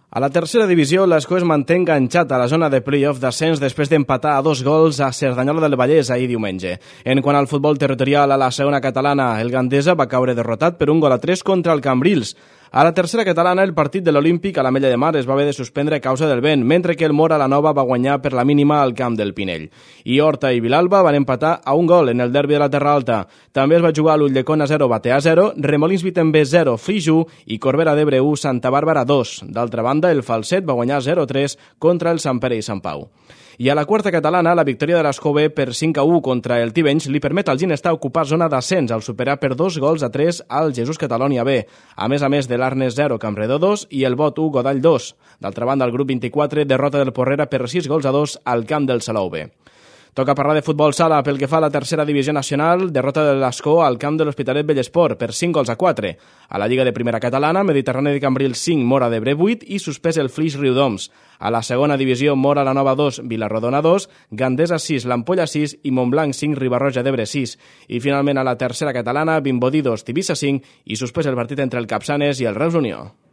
A la tercera divisió, l'Escó es manté enganxat a la zona de play-off d'ascens després d'empatar a 2 gols a Cerdanyola del Vallès ahir diumenge. En quant al futbol territorial a la segona catalana, el Gandesa va caure derrotat per 1-3 contra el Cambrils. A la tercera catalana, el partit de l'Olímpic a l'Ametlla de Mar es va haver de suspendre a causa del vent, mentre que el Mora la Nova va guanyar per la mínima al camp del Pinell. I Horta i Vilalba van empatar a 1 gol en el derbi de la Terra Alta. També es va jugar a l'Ulldecona 0, Batea 0, Remolins Vitember 0, Flix 1 i Corbera d'Ebre 1, Santa Bàrbara 2. D'altra banda, el Falset va guanyar 0-3 contra el Sant Pere i Sant Pau. I a la quarta catalana, la victòria de l'Escó B per 5-1 contra el Tivenys li permet al Ginestar ocupar zona d'ascens al superar per 2-3 al Jesús Catalònia B, a més de l'Arnes 0, Campredó 2 i el Bot 1, Godall 2. D'altra banda, el grup 24 derrota del Porrera per 6-2 al camp del Salou B. Toca parlar de futbol sala pel que fa a la tercera divisió nacional, derrota de l'Escó al camp de l'Hospitalet Bellesport per 5-4. A la Lliga de Primera Catalana, Mediterrani de Cambrils 5, Mora d'Ebre 8 i suspès el Flix Riudoms. A la segona divisió, Mora la Nova 2, Vilarrodona 2, Gandesa 6, l'Ampolla 6 i Montblanc 5, Ribarroja d'Ebre 6. I finalment a la tercera catalana, Vimbodí 2, Tivissa 5 i suspès el partit entre el Capçanes i el Reus Unió.